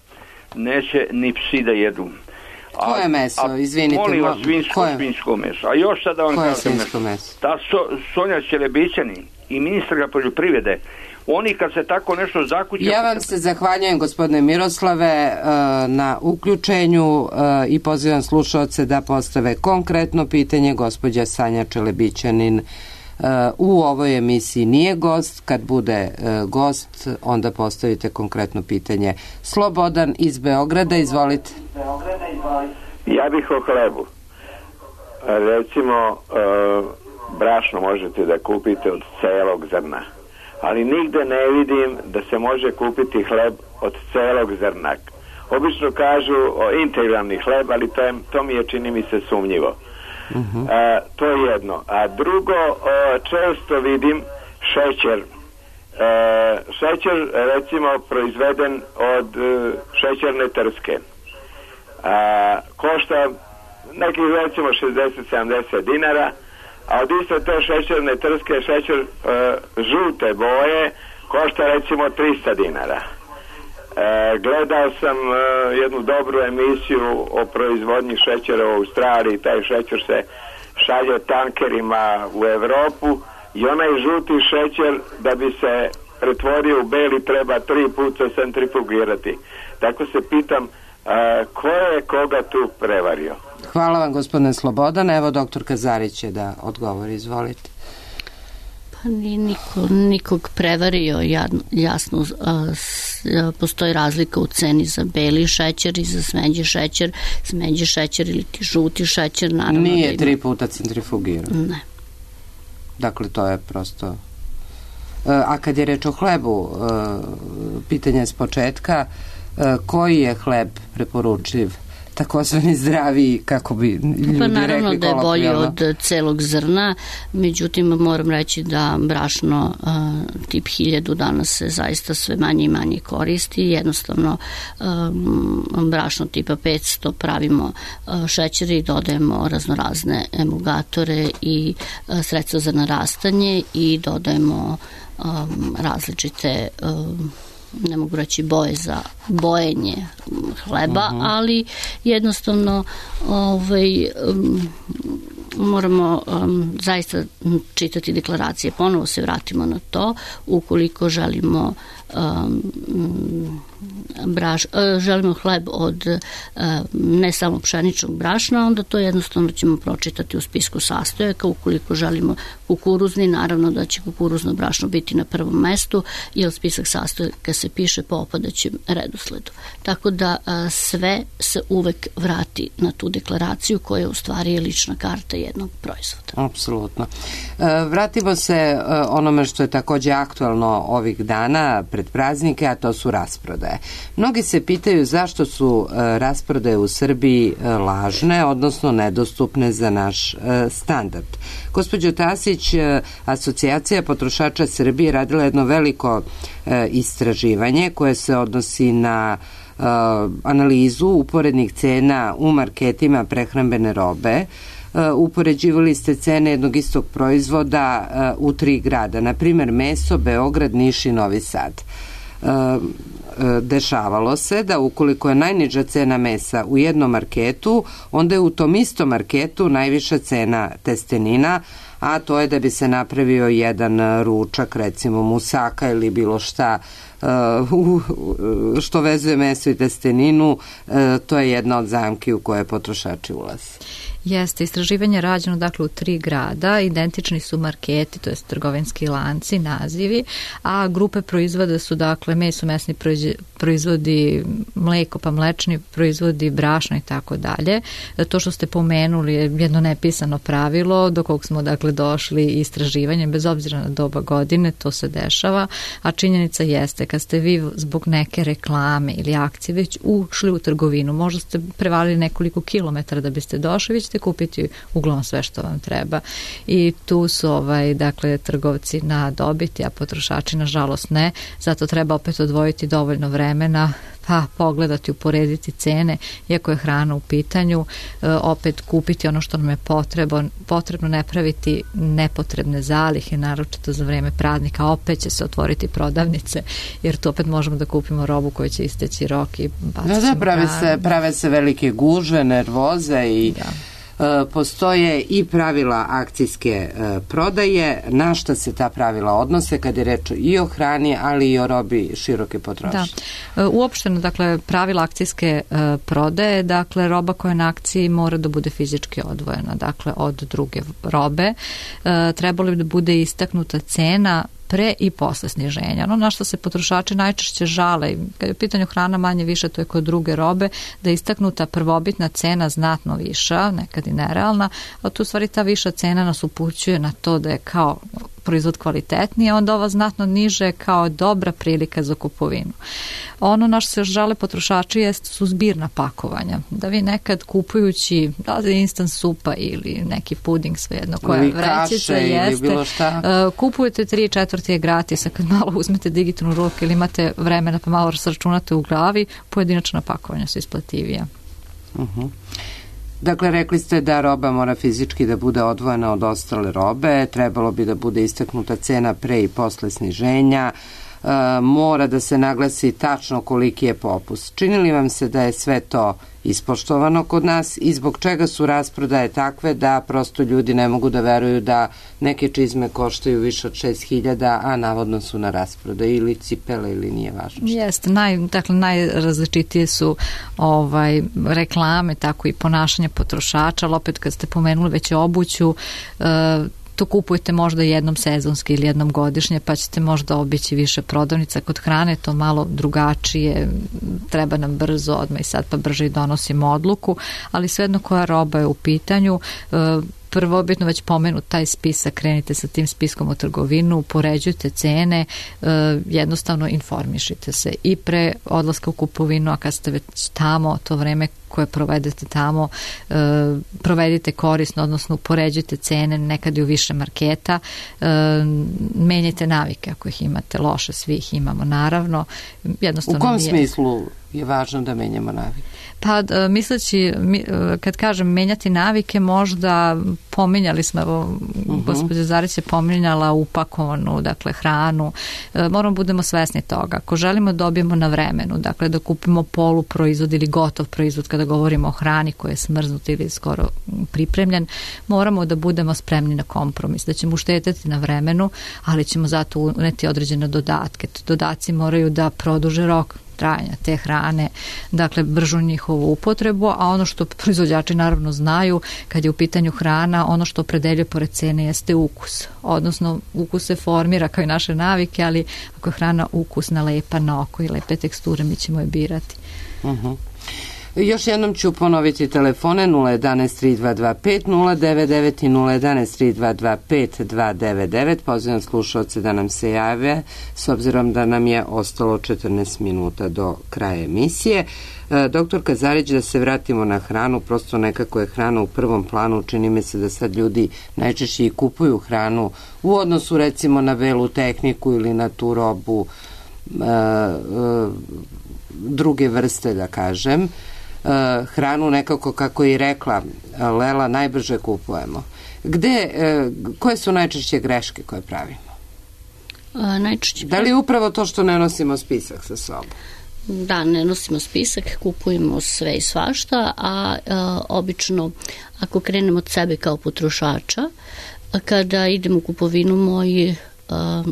S14: neće ni psi da jedu.
S1: Koje meso? Izvinite.
S14: Molim vas, svinjsko meso. A još sad da vam kažem
S1: meso.
S14: Ta Sonja Ćelebićanin i ministra poljoprivrede, oni kad se tako nešto zakuće...
S1: Ja vam se zahvaljujem, gospodine Miroslave, na uključenju i pozivam slušaoce da postave konkretno pitanje. Gospođa Sanja Čelebićanin u ovoj emisiji nije gost. Kad bude gost, onda postavite konkretno pitanje. Slobodan iz Beograda, izvolite.
S15: Ja bih o hlebu. Recimo, brašno možete da kupite od celog zrna. Ali nigde ne vidim da se može kupiti hleb od celog zrna. Obično kažu integralni hleb, ali to mi je, čini mi se, sumnjivo. To je jedno. A drugo, često vidim šećer. Šećer, recimo, proizveden od šećerne trske. Košta nekih, recimo, 60-70 dinara, a od iste te šećerne trske šećer žute boje košta recimo 300 dinara. Gledao sam jednu dobru emisiju o proizvodnji šećera u Australiji. Taj šećer se šalje tankerima u Evropu i onaj žuti šećer da bi se pretvorio u beli treba 3 puta centrifugirati. Tako se pitam ko je koga tu prevario.
S1: Hvala vam, gospodine Slobodan. Evo, doktor Kazarić će da odgovori. Izvolite.
S3: Pa nije nikog prevario, jasno postoji razlika u ceni za beli šećer i za smeđi šećer ili ti žuti šećer. Naravno,
S1: nije 3 puta centrifugiran.
S3: Ne.
S1: Dakle, to je prosto... A kad je reč o hlebu, pitanje s početka, koji je hleb preporučiv, takozvani zdraviji, kako bi ljudi rekli kolokvijalno?
S3: Pa naravno da je bolji od celog zrna, međutim moram reći da brašno tip 1000 danas se zaista sve manje i manje koristi. Jednostavno brašno tipa 500 pravimo šećer i dodajemo raznorazne emulgatore i sredstva za narastanje i dodajemo različite ne mogu reći boje za bojenje hleba, ali jednostavno moramo zaista čitati deklaracije. Ponovo se vratimo na to. Ukoliko želimo želimo hleb od ne samo pšeničnog brašna, onda to jednostavno ćemo pročitati u spisku sastojaka. Ukoliko želimo kukuruzni, naravno da će kukuruzno brašno biti na prvom mestu, jer spisak sastojaka se piše po opadajućem redosledu. Tako da sve se uvek vrati na tu deklaraciju koja u stvari je lična karta jednog proizvoda.
S1: Apsolutno. Vratimo se onome što je takođe aktualno ovih dana pred praznike, a to su rasprodaje. Mnogi se pitaju zašto su rasprodaje u Srbiji lažne, odnosno nedostupne za naš standard. Gospođo Tasić, Asocijacija potrošača Srbije radila jedno veliko istraživanje koje se odnosi na analizu uporednih cena u marketima prehrambene robe. Upoređivali ste cene jednog istog proizvoda u 3 grada, na primer meso, Beograd, Niš i Novi Sad. Dešavalo se da ukoliko je najniža cena mesa u jednom marketu, onda je u tom istom marketu najviša cena testenina, a to je da bi se napravio jedan ručak, recimo musaka ili bilo šta što vezuje meso i testeninu, to je jedna od zamki u koje potrošači ulaze.
S4: Jeste, istraživanje je rađeno dakle u 3 grada, identični su marketi, to je trgovinski lanci, nazivi, a grupe proizvoda su dakle meso, mesni proizvodi, mleko pa mlečni proizvodi, brašno i tako dalje. To što ste pomenuli je jedno nepisano pravilo do kog smo dakle došli istraživanjem, bez obzira na doba godine, to se dešava, a činjenica jeste kad ste vi zbog neke reklame ili akcije već ušli u trgovinu, možda ste prevalili nekoliko kilometara da biste došli, već ćete kupiti uglavnom sve što vam treba i tu su dakle trgovci na dobiti, a potrošači nažalost ne, zato treba opet odvojiti dovoljno vremena pa pogledati, uporediti cene, iako je hrana u pitanju, opet kupiti ono što nam je potrebno, ne praviti nepotrebne zalihe, naročito za vreme praznika, opet će se otvoriti prodavnice, jer tu opet možemo da kupimo robu koja će isteći rok i baciti
S1: prave se velike gužve, nervoze i postoje i pravila akcijske prodaje. Na šta se ta pravila odnose kad je reč i o hrani, ali i o robi široke potrošnje?
S4: Da. Uopšteno, dakle, pravila akcijske prodaje, dakle, roba koja je na akciji mora da bude fizički odvojena, dakle, od druge robe. Trebalo bi da bude istaknuta cena pre i posle sniženja. Ono na što se potrošači najčešće žale, kad je u pitanju hrana manje više, to je kod druge robe, da je istaknuta prvobitna cena znatno viša, nekad i nerealna, a tu u stvari ta viša cena nas upućuje na to da je kao proizvod kvalitetniji, a onda ova znatno niže kao dobra prilika za kupovinu. Ono na što se žale potrošači su zbirna pakovanja. Da vi nekad kupujući instant supa ili neki puding, svejedno koja vrećica jeste, kupujete 3/4 je gratis, a kad malo uzmete digitalnu ruku ili imate vremena pa malo sračunate u glavi, pojedinačna pakovanja su isplativija.
S1: Dakle, rekli ste da roba mora fizički da bude odvojena od ostale robe, trebalo bi da bude istaknuta cena pre i posle sniženja, mora da se naglasi tačno koliki je popust. Čini li vam se da je sve to ispoštovano kod nas i zbog čega su rasprodaje takve da prosto ljudi ne mogu da veruju da neke čizme koštaju više od 6.000, a navodno su na rasprodaji, ili cipele, ili nije važno?
S4: Jeste, najrazličitije su reklame, tako i ponašanje potrošača, ali opet kad ste pomenuli već obuću, to kupujete možda jednom sezonski ili jednom godišnje, pa ćete možda obići više prodavnica. Kod hrane to malo drugačije, treba nam brzo, odmah i sad pa brže i donosimo odluku, ali svejedno koja roba je u pitanju. Prvobitno već pomenut taj spisak, krenite sa tim spiskom u trgovinu, upoređujte cene, jednostavno informišite se i pre odlaska u kupovinu, a kad ste već tamo, to vreme koje provedete tamo, provedite korisno, odnosno upoređujte cene, nekad i u više marketa, menjajte navike ako ih imate loše, svi ih imamo naravno. Jednostavno,
S1: u kom smislu je važno da menjamo navike?
S4: Pa misleći, kad kažem menjati navike, možda pominjali smo, evo, gospođa Zarić je pominjala upakovanu, dakle, hranu. Moramo budemo svesni toga. Ako želimo dobijemo na vremenu, dakle, da kupimo poluproizvod ili gotov proizvod, kada govorimo o hrani koja je smrznut ili skoro pripremljen, moramo da budemo spremni na kompromis, da ćemo uštedjeti na vremenu, ali ćemo zato uneti određene dodatke. Dodaci moraju da produže rok trajanja te hrane, dakle bržu njihovu upotrebu, a ono što proizvođači naravno znaju kad je u pitanju hrana, ono što opredeljuje pored cene jeste ukus. Odnosno ukus se formira kao i naše navike, ali ako je hrana ukusna, lepa na oko i lepe teksture, mi ćemo je birati.
S1: Još jednom ću ponoviti telefone 011-3225 099 i 011-3225 299. Pozivam slušalce da nam se jave, s obzirom da nam je ostalo 14 minuta do kraja emisije. Doktor Kazarić, da se vratimo na hranu, prosto nekako je hrana u prvom planu, čini mi se da sad ljudi najčešće i kupuju hranu u odnosu recimo na belu tehniku ili na tu robu druge vrste, da kažem. Hranu nekako, kako je rekla Lela, najbrže kupujemo. Koje su najčešće greške koje pravimo? Da li je upravo to što ne nosimo spisak sa sobom?
S3: Da, ne nosimo spisak, kupujemo sve i svašta, a obično ako krenemo od sebe kao potrošača, kada idem u kupovinu, moji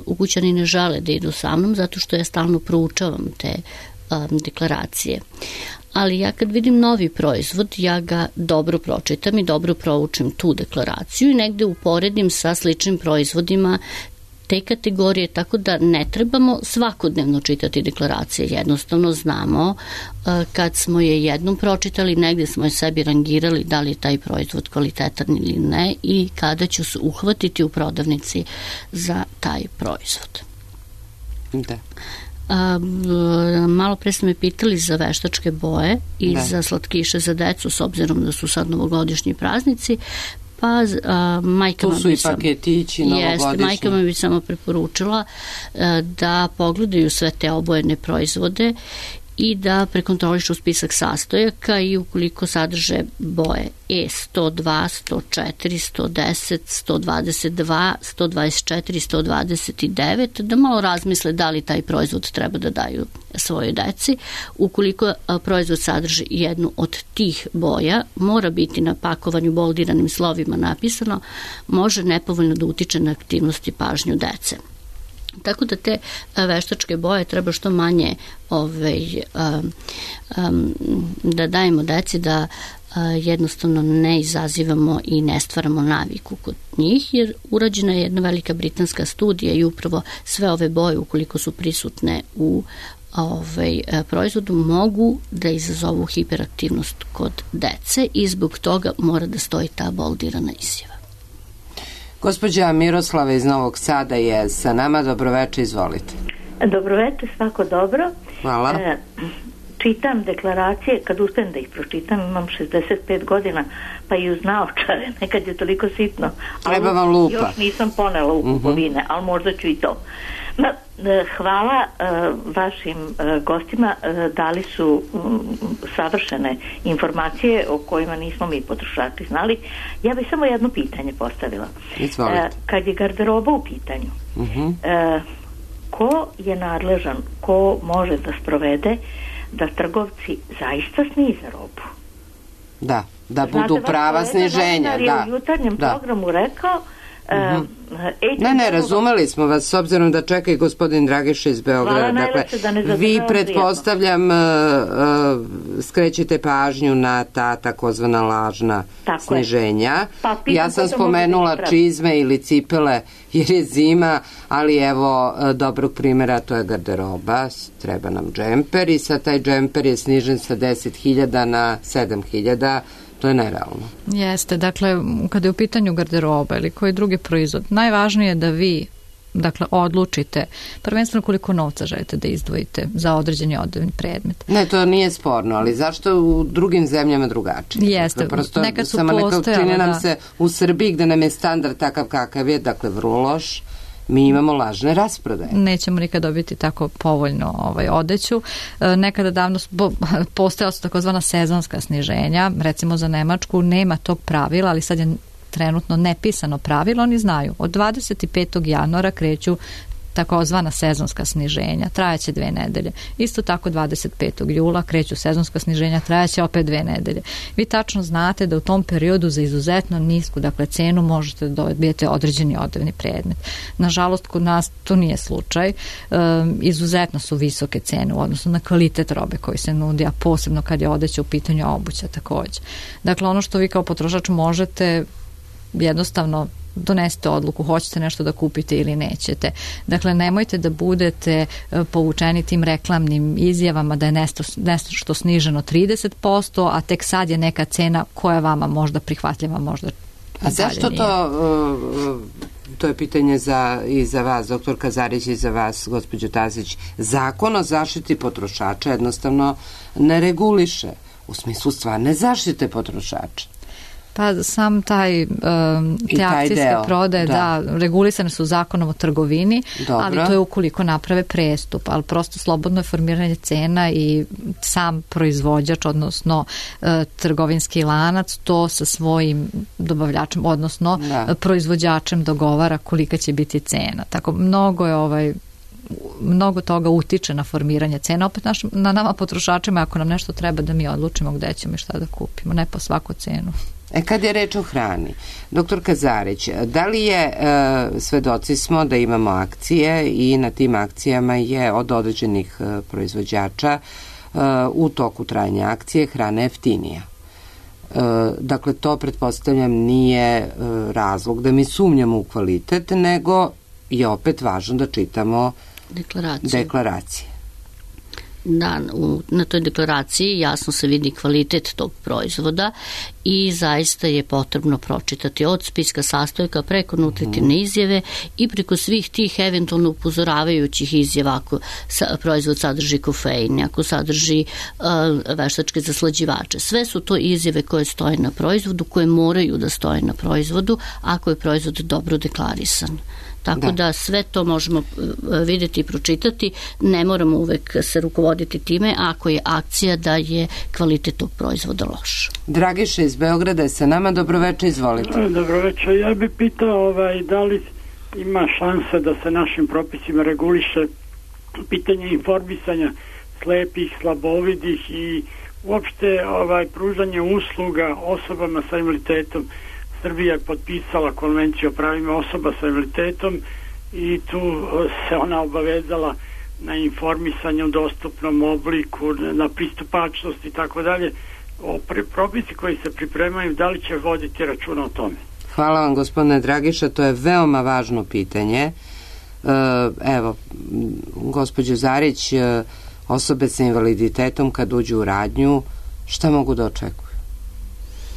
S3: ukućani ne žele da idu sa mnom, zato što ja stalno proučavam te deklaracije. Ali ja kad vidim novi proizvod, ja ga dobro pročitam i dobro proučim tu deklaraciju i negde uporedim sa sličnim proizvodima te kategorije, tako da ne trebamo svakodnevno čitati deklaracije. Jednostavno znamo kad smo je jednom pročitali, negde smo je sebi rangirali da li je taj proizvod kvalitetan ili ne i kada ću se uhvatiti u prodavnici za taj proizvod.
S1: Da.
S3: Malo pre ste me pitali za veštačke boje i za slatkiše za decu, s obzirom da su sad novogodišnji praznici, pa majkama
S1: tu su i paketići novogodišnji.
S3: Majkama bi samo preporučila da pogledaju sve te obojene proizvode i da prekontrolišu spisak sastojaka i ukoliko sadrže boje E102, 104, 110, 122, 124, 129, da malo razmisle da li taj proizvod treba da daju svojoj deci. Ukoliko proizvod sadrži jednu od tih boja, mora biti na pakovanju boldiranim slovima napisano, može nepovoljno da utiče na aktivnost i pažnju dece. Tako da te veštačke boje treba što manje da dajemo deci, da jednostavno ne izazivamo i ne stvaramo naviku kod njih, jer urađena je jedna velika britanska studija i upravo sve ove boje, ukoliko su prisutne u proizvodu, mogu da izazovu hiperaktivnost kod dece i zbog toga mora da stoji ta boldirana izjava.
S1: Gospođa Miroslava iz Novog Sada je sa nama. Dobroveče, izvolite.
S16: Dobroveče, svako dobro.
S1: Hvala.
S16: Čitam deklaracije, kad uspijem da ih pročitam, imam 65 godina, pa i uz naočare, nekad je toliko sitno.
S1: Treba vam lupa.
S16: Još nisam ponela u kupovine, ali možda ću i to. Hvala vašim gostima, dali su savršene informacije o kojima nismo mi potrošači znali. Ja bih samo jedno pitanje postavila. Kad je garderoba u pitanju, ko je nadležan, ko može da sprovede da trgovci zaista snize robu?
S1: Da budu prava sniženja.
S16: Da, u jutarnjem programu rekao
S1: Ne, razumeli smo vas, s obzirom da čeka i gospodin Dragiša iz Beograda. Dakle, vi pretpostavljam skrećete pažnju na ta takozvana lažna sniženja. Ja sam spomenula čizme ili cipele jer je zima, ali evo dobrog primjera, to je garderoba, treba nam džemper i sad taj džemper je snižen sa 10.000 na 7.000. To je nerealno.
S4: Jeste, dakle, kada je u pitanju garderoba ili koji drugi proizvod, najvažnije je da vi odlučite prvenstveno koliko novca želite da izdvojite za određeni odevni predmet.
S1: Ne, to nije sporno, ali zašto u drugim zemljama drugačije?
S4: Jeste,
S1: prosto,
S4: nekad su
S1: postojala. Čini nam se u Srbiji gde nam je standard takav kakav je, dakle vrlo loš, mi imamo lažne rasprodaje.
S4: Nećemo nikad dobiti tako povoljno odeću. Nekada davno postojala su takozvana sezonska sniženja, recimo za Nemačku nema tog pravila, ali sad je trenutno nepisano pravilo, oni znaju. Od 25. januara kreću takozvana sezonska sniženja, trajaće 2 nedelje. Isto tako 25. jula kreću sezonska sniženja, trajaće opet 2 nedelje. Vi tačno znate da u tom periodu za izuzetno nisku, cenu možete da dobijete određeni odevni predmet. Nažalost, kod nas to nije slučaj. Izuzetno su visoke cene u odnosu na kvalitet robe koji se nudi, a posebno kad je odeća u pitanju, obuća takođe. Dakle, ono što vi kao potrošač možete jednostavno donesete odluku, hoćete nešto da kupite ili nećete. Dakle, nemojte da budete povučeni tim reklamnim izjavama da je nešto sniženo 30%, a tek sad je neka cena koja vama možda prihvatljiva, možda
S1: a zašto to je pitanje i za vas, doktor Kazarić, i za vas, gospođo Tasić. Zakon o zaštiti potrošača jednostavno ne reguliše u smislu stvarne zaštite potrošača.
S4: Pa sam te akcijske prodaje, regulisane su zakonom o trgovini, ali to je ukoliko naprave prestup, ali prosto slobodno je formiranje cena i sam proizvođač, odnosno trgovinski lanac, to sa svojim dobavljačem, odnosno proizvođačem dogovara kolika će biti cena. Tako mnogo toga utiče na formiranje cena. Opet na nama potrošačima, ako nam nešto treba da mi odlučimo gde ćemo i šta da kupimo, ne po svaku cenu.
S1: Kad je reč o hrani, doktor Kazarić, da li je, svedoci smo da imamo akcije i na tim akcijama je od određenih proizvođača u toku trajanja akcije hrana jeftinija. Dakle, to pretpostavljam nije razlog da mi sumnjamo u kvalitet, nego je opet važno da čitamo deklaracije.
S3: Da, na toj deklaraciji jasno se vidi kvalitet tog proizvoda i zaista je potrebno pročitati od spiska sastojka preko nutritivne izjave i preko svih tih eventualno upozoravajućih izjava ako proizvod sadrži kofein, ako sadrži veštačke zaslađivače. Sve su to izjave koje stoje na proizvodu, koje moraju da stoje na proizvodu ako je proizvod dobro deklarisan. Tako da sve to možemo vidjeti i pročitati, ne moramo uvek se rukovoditi time ako je akcija da je kvalitet tog proizvoda loš.
S1: Dragiša iz Beograda je sa nama, dobroveče, izvolite.
S17: Dobroveče, ja bih pitao da li ima šanse da se našim propisima reguliše pitanje informisanja slepih, slabovidih i uopšte pružanje usluga osobama sa invaliditetom. Srbija je potpisala konvenciju o pravima osoba sa invaliditetom i tu se ona obavezala na informisanje u dostupnom obliku, na pristupačnost i tako dalje. Propisi koji se pripremaju, da li će voditi računa o tome?
S1: Hvala vam, gospodine Dragiša, to je veoma važno pitanje. Evo, gospođo Zarić, osobe sa invaliditetom kad uđu u radnju, šta mogu da očekuju?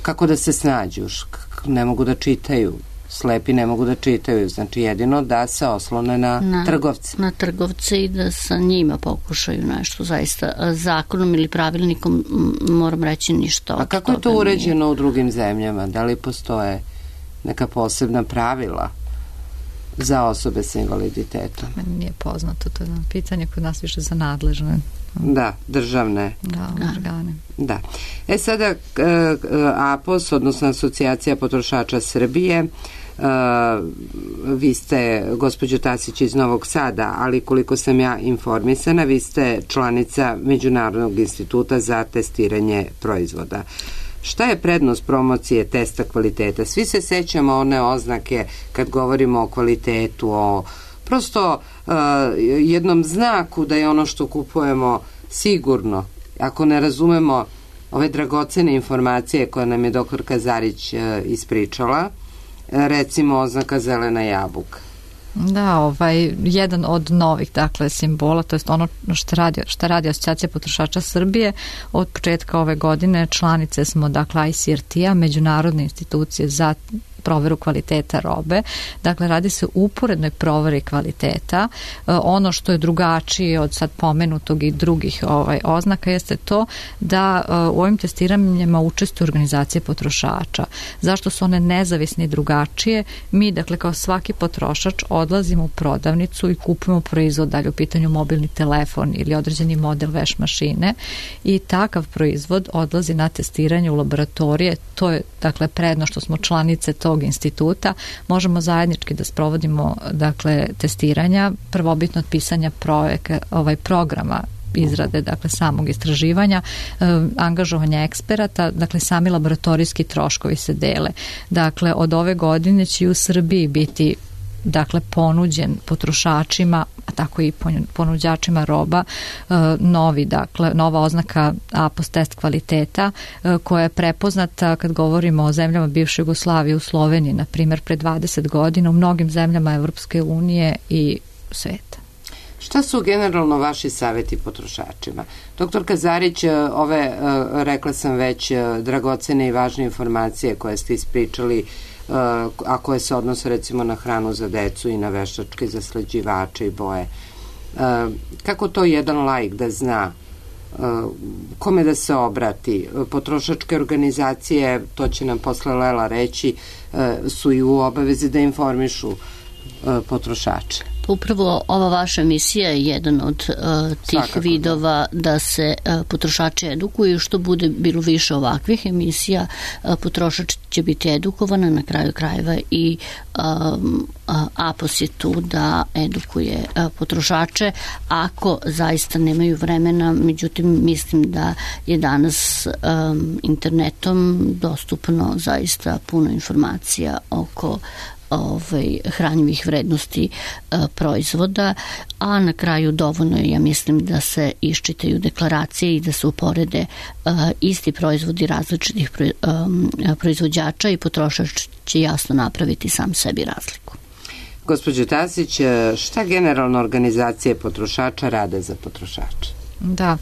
S1: Kako da se snađu? Ne mogu da čitaju, slepi ne mogu da čitaju, znači jedino da se oslone na trgovce.
S3: Na trgovce i da sa njima pokušaju nešto, zaista zakonom ili pravilnikom moram reći ništa.
S1: A kako je to uređeno u drugim zemljama? Da li postoje neka posebna pravila za osobe sa invaliditetom?
S4: Meni nije poznato, to je pitanje kod nas više za nadležne.
S1: Da, državne
S4: organe.
S1: Da. Sada APOS, odnosno Asocijacija potrošača Srbije, vi ste, gospođo Tasić, iz Novog Sada, ali koliko sam ja informisana, vi ste članica Međunarodnog instituta za testiranje proizvoda. Šta je prednost promocije testa kvaliteta? Svi se sećamo one oznake kad govorimo o kvalitetu, o prosto jednom znaku da je ono što kupujemo sigurno. Ako ne razumemo ove dragocene informacije koje nam je dr. Kazarić ispričala, recimo oznaka zelena jabuka.
S4: Da, jedan od novih, dakle, simbola, to je ono što radi Asocijacija potrošača Srbije. Od početka ove godine članice smo, dakle, ICRT-a, međunarodne institucije za proveru kvaliteta robe. Dakle, radi se o uporednoj proveri kvaliteta. Ono što je drugačije od sad pomenutog i drugih oznaka jeste to da u ovim testiranjima učestvuju organizacije potrošača. Zašto su one nezavisne i drugačije? Mi, dakle, kao svaki potrošač odlazimo u prodavnicu i kupujemo proizvod, dalje u pitanju mobilni telefon ili određeni model veš mašine, i takav proizvod odlazi na testiranje u laboratorije. To je, dakle, prednost što smo članice tog instituta, možemo zajednički da sprovodimo, dakle, testiranja, prvobitno od pisanja programa izrade, dakle, samog istraživanja, angažovanja eksperata, dakle, sami laboratorijski troškovi se dele. Dakle, od ove godine će u Srbiji biti, dakle, ponuđen potrošačima, a tako i ponuđačima roba, nova oznaka APOS test kvaliteta, koja je prepoznata kad govorimo o zemljama bivše Jugoslavije, u Sloveniji, na primjer, pre 20 godina, u mnogim zemljama Evropske unije i sveta.
S1: Šta su generalno vaši savjeti potrošačima? Doktor Kazarić, rekla sam već, dragocene i važne informacije koje ste ispričali, a koje se odnose recimo na hranu za decu i na veštačke zaslađivače i boje. Kako to jedan laik da zna? Kome da se obrati? Potrošačke organizacije, to će nam posle Lela reći, su i u obavezi da informišu potrošače.
S3: Upravo ova vaša emisija je jedan od tih vidova da se potrošači edukuju. Što bude bilo više ovakvih emisija, potrošač će biti edukovana, na kraju krajeva i APOS je tu da edukuje potrošače ako zaista nemaju vremena. Međutim, mislim da je danas internetom dostupno zaista puno informacija oko hranjivih vrednosti proizvoda, a na kraju dovoljno je, ja mislim, da se iščitaju deklaracije i da se uporede isti proizvodi različitih proizvođača i potrošač će jasno napraviti sam sebi razliku.
S1: Gospođo Tasić, šta generalno organizacije potrošača rade za potrošače?
S4: Da,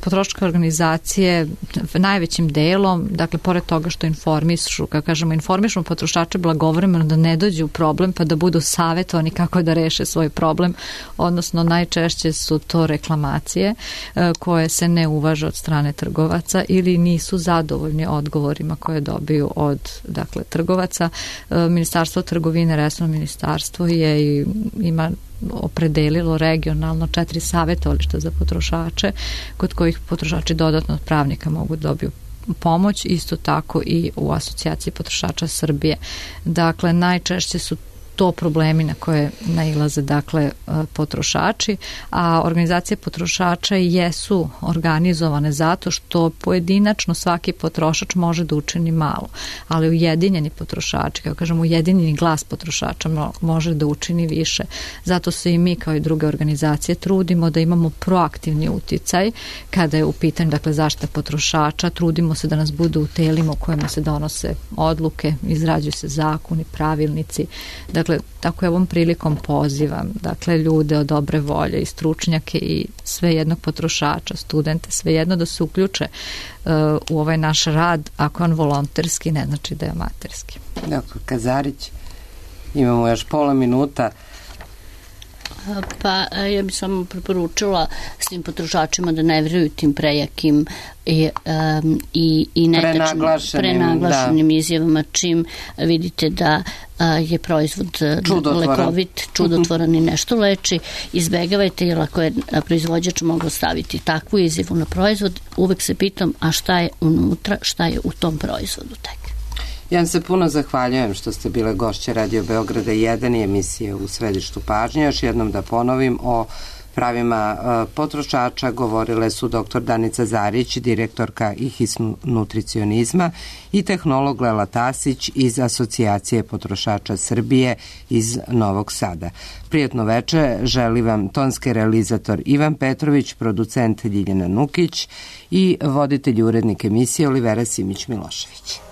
S4: potrošačke organizacije najvećim delom, dakle, pored toga što informišu, kako kažemo, informišemo potrošače blagovremeno da ne dođu u problem pa da budu savjetovani kako da reše svoj problem, odnosno najčešće su to reklamacije koje se ne uvaže od strane trgovaca ili nisu zadovoljni odgovorima koje dobiju od, dakle, trgovaca. Ministarstvo trgovine, resorno ministarstvo ima opredelilo regionalno 4 savjetovališta za potrošače, kod kojih potrošači dodatno od pravnika mogu da dobiju pomoć, isto tako i u Asocijaciji potrošača Srbije. Dakle, najčešće su to problemi na koje nailaze, dakle, potrošači, a organizacije potrošača jesu organizovane zato što pojedinačno svaki potrošač može da učini malo, ali ujedinjeni potrošači, kako kažemo, ujedinjeni glas potrošača može da učini više. Zato se i mi, kao i druge organizacije, trudimo da imamo proaktivni uticaj kada je u pitanju, dakle, zaštita potrošača. Trudimo se da nas budu u telima u kojima se donose odluke, izrađuju se zakoni, pravilnici. Dakle, tako je ovom prilikom pozivam, dakle, ljude od dobre volje i stručnjake i sve jednog potrošača, studente, sve jedno da se uključe u ovaj naš rad. Ako je on volonterski, ne znači da je amaterski.
S1: Doktor Kazarić, imamo još pola minuta.
S3: Pa ja bih samo preporučila svim potrošačima da ne vjeruju tim prejakim i prenaglašenim izjavama. Čim vidite da je proizvod lekovit, čudotvoran i nešto leči, izbegavajte, jer ako je proizvođač mogao staviti takvu izjavu na proizvod, uvek se pitam, a šta je unutra, šta je u tom proizvodu tek.
S1: Ja vam se puno zahvaljujem što ste bile gošće Radio Beograda 1 i emisije U središtu pažnje. Još jednom da ponovim o
S2: pravima potrošača govorile su dr. Danica Zarić, direktorka IHIS nutricionizma, i tehnolog Lela Tasić iz Asocijacije potrošača Srbije iz Novog Sada. Prijatno veče, želi vam tonski realizator Ivan Petrović, producent Ljiljana Nukić i voditelj i urednik emisije Olivera Simić-Milošević.